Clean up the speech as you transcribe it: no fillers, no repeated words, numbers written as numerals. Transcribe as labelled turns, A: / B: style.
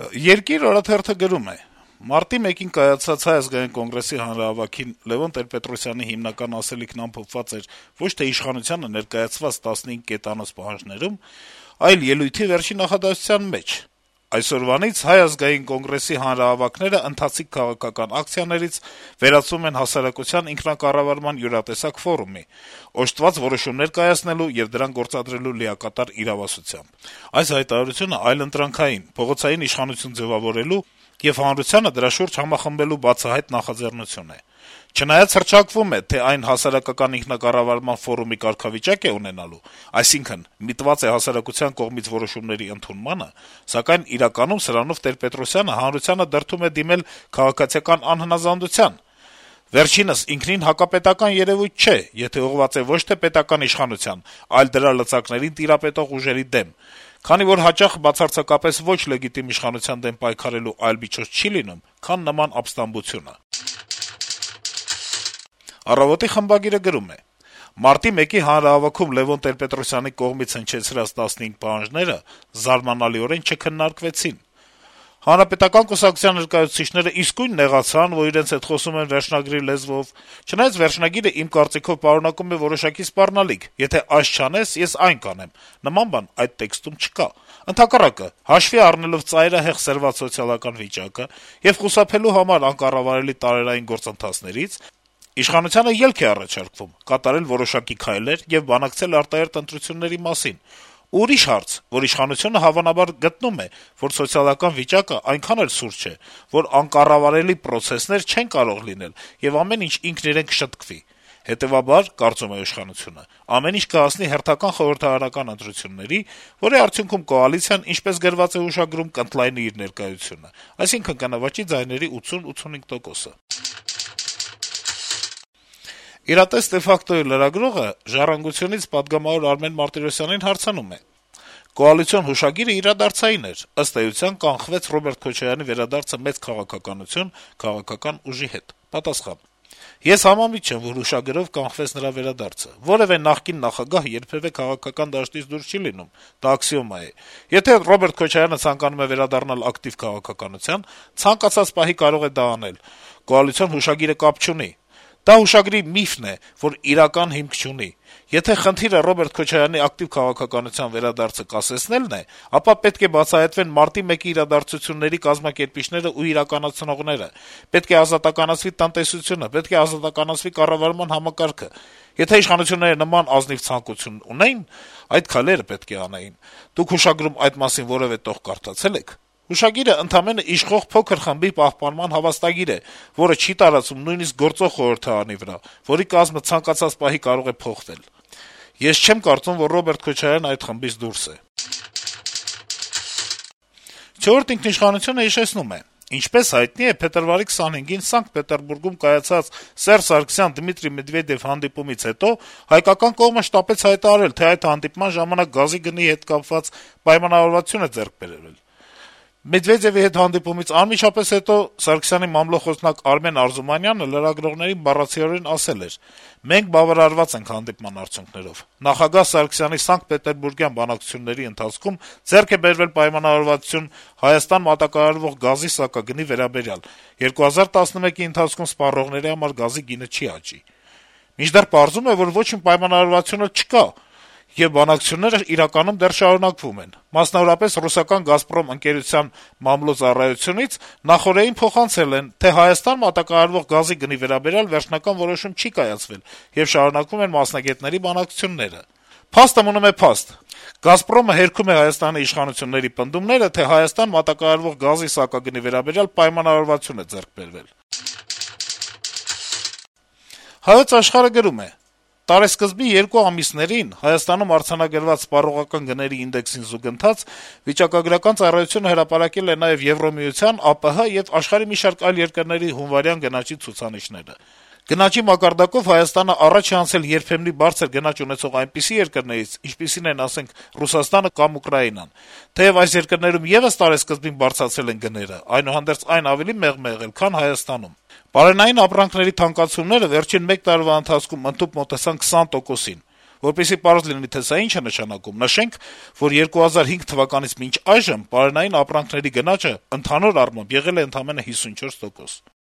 A: Երկիր օրաթերթը գրում է. - Մարտի 1-ին կայացած Հայ ազգային կոնգրեսի հանրահավաքին Լեւոն Տեր-Պետրոսյանի հիմնական ասելիքն ամփոփված էր ոչ թե իշխանությանը ներկայացված 15 կետանոց պահանջներում, այլ ելույթի վերջին նախադասության մեջ. այսօրվանից Հայ ազգային կոնգրեսի հանրահավաքները ընթացիկ քաղաքական ակցիաներից վերածվում են հասարակության ինքնակառավարման յուրատեսակ ֆորումի, օժտված որոշումներ կայացնելու եւ դրանք գործադրելու լիակատար իրավասությամբ։ Այս հայտարարությունը այլընտրանքային, փողոցային իշխանություն ձեւավորելու եւ հանրությանը դրա շուրջ համախմբելու բացահայտ նախաձեռնություն է։ Չնայած հռչակվում է, թե այն հասարակական ինքնակառավարման ֆորումի կարգավիճակ է ունենալու, այսինքն միտված է հասարակության կողմից որոշումների ընդունմանը, սակայն իրականում սրանով Տեր-Պետրոսյանը հանրությանը դրդում է դիմել քաղաքացիական անհնազանդության։ Վերջինս ինքնին հակապետական երեւույթ չէ, եթե ուղղված է ոչ թե պետական իշխանության, այլ դրա լծակներին տիրապետող ուժերի դեմ, քանի որ հաճախ բացարձակապես ոչ լեգիտիմ իշխանության դեմ պայքարելու այլ միջոց չի լինում, քան նման ապստամբությունը։ «Առավոտ»-ի խմբագիրը գրում է. - Մարտի 1-ի հանրահավաքում Լեւոն Տեր-Պետրոսյանի կողմից հնչեցրած 15 պահանջները զարմանալիորեն չքննարկվեցին։ Հանրապետական կուսակցության ներկայացուցիչները իսկույն նեղացան, որ իրենց հետ խոսում են վերջնագրի լեզվով, չնայած վերջնագիրը իմ կարծիքով պարունակում է որոշակի սպառնալիք. եթե այս չանես, ես այն կանեմ, նման բան այդ տեքստում չկա։ Ընդհակառակը, հաշվի առնելով ծայրահեղ սրված սոցիալական վիճակը եւ խուսափելու համար անկառավարելի տարերային գործընթացներից, իշխանությանը ելք է առաջարկվում կատարել որոշակի քայլեր եւ բանակցել արտահերթ ընտրությունների մասին։ Ուրիշ հարց, որ իշխանությունը հավանաբար գտնում է, որ սոցիալական վիճակը այնքան էլ սուր չէ, որ անկառավարելի պրոցեսներ չեն կարող լինել եւ ամեն ինչ ինքն իրեն կշտկվի։ Հետեւաբար, կարծում է իշխանությունը, ամեն ինչ կհասնի հերթական խորհրդարանական ընտրությունների, որի արդյունքում կոալիցիան, ինչպես գրված է ուշագրում, կընդլայնի իր ներկայությունը, այսինքն կնվաճի ձայների 80-85%-ը։ «Իրատես դե ֆակտո»-ի լրագրողը «Ժառանգություն»-ից պատգամավոր Արմեն Մարտիրոսյանին հարցնում է. - «Կոալիցիոն հուշագիրը իրադարձային էր, ըստ էության կանխվեց Ռոբերտ Քոչարյանի վերադարձը մեծ քաղաքականություն, քաղաքական ուժի հետ»։ Պատասխան. - «Ես համամիտ չեմ, որ հուշագրով կանխվեց նրա վերադարձը: Որեւէ նախկին նախագահ երբեւէ քաղաքական դաշտից դուրս չի լինում, դա աքսիոմա է: Եթե Ռոբերտ Քոչարյանը ցանկանում է վերադառնալ ակտիվ քաղաքականության, ցանկացած պահի կարող է դա անել: Կոալիցիոն հուշագիրը կապ չունի: Դա հուշագրի միֆն է, որ իրական հիմք չունի: Եթե խնդիրը Ռոբերտ Քոչարյանի ակտիվ քաղաքականության վերադարձը կասեցնելն է, ապա պետք է բացահայտվեն մարտի 1-ի իրադարձությունների կազմակերպիչներն ու իրականացնողները: Պետք է ազատականացվի տնտեսությունը, պետք է ազատականացվի կառավարման համակարգը: Եթե իշխանությունները նման ազնիվ ցանկություն ունեին, այդ քայլերը պետք է անեին: Դուք հուշագրում այդ մասին որեւէ տող կարդացե՞լ եք: Հուշագիրը ընդամենը իշխող փոքր խմբի պահպանման հավաստագիր է, որը չի տարածվում նույնիսկ գործող խորհրդարանի վրա, որի կազմը ցանկացած պահի կարող է փոխվել: Ես չեմ կարծում, որ Ռոբերտ Քոչարյանն այդ խմբից դուրս է»: «Չորրորդ ինքնիշխանություն»-ը հիշեցնում է. - «Ինչպես հայտնի է, փետրվարի 25-ին Սանկտ Պետերբուրգում կայացած Սերժ Սարգսյան – Դմիտրի Մեդվեդեւ հանդիպումից հետո հայկական կողմը շտապեց հայտարարել, թե այդ հանդիպման ժամանակ գազի գնի հետ կապված պայմանավորվածություն է ձեռք բերվել: Մեդվեդեւի հետ հանդիպումից անմիջապես հետո Սարգսյանի մամլոխոսնակ Արմեն Արզումանյանը լրագրողներին բառացիորեն ասել էր. «Մենք բավարարված ենք հանդիպման արդյունքներով: Նախագահ Սարգսյանի Սանկտ Պետերբուրգյան բանակցությունների ընթացքում ձեռք է բերվել պայմանավորվածություն Հայաստան մատակարարվող գազի սակագնի վերաբերյալ: 2011-ի ընթացքում սպառողների համար գազի գինը չի աճի: Մինչդեռ պարզվում է, որ ոչ մի պայմանավորվածություն էլ չկա, եւ բանակցություններն իրականում դեռ շարունակվում են: Մասնավորապես, ռուսական «Գազպրոմ» ընկերության մամլոյցարայությունից նախօրեին փոխանցել են, թե Հայաստան մատակարարվող գազի գնի վերաբերյալ վերջնական որոշում չի կայացվել, եւ շարունակվում են մասնագետների բանակցությունները: Փաստը մնում է փաստ: «Գազպրոմը» հերքում է Հայաստանի իշխանությունների պնդումները, թե Հայաստան մատակարարվող գազի սակագնի վերաբերյալ պայմանավորվածություն է ձեռք բերվել»: «Հայոց Աշխարհ»-ը գրում է. - «Տարեսկզբի 2 ամիսներին Հայաստանում արձանագրված սպառողական գների ինդեքսին զուգընթաց վիճակագրական ծառայությունը հրապարակել է նաեւ Եվրամիության, ԱՊՀ եւ աշխարհի մի շարք այլ երկրների հունվարյան գնաճի ցուցանիշները: Գնաճի մակարդակով Հայաստանը առաջ է անցել երբեմնի բարձր գնաճ ունեցող այնպիսի երկրներից, ինչպիսին են, ասենք, Ռուսաստանը կամ Ուկրաինան: Թեեւ այս երկրներում եւս տարեսկզբին բարձրացել են գները, այնուհանդերձ այն ավելի մեղմ է եղել, քան Հայաստանում: Բարենային ապրանքների թանկացումները վերջին 1 տարվա ընթացքում ընդհուպ մոտեցան 20%-ին: Որպեսզի պարզ լինի, թե սա ինչ է նշանակում, նշենք, որ 2005 թվականից մինչ այժմ պարենային ապրանքների գնաճը ընդհանուր առմամբ եղել է ընդամենը 54%.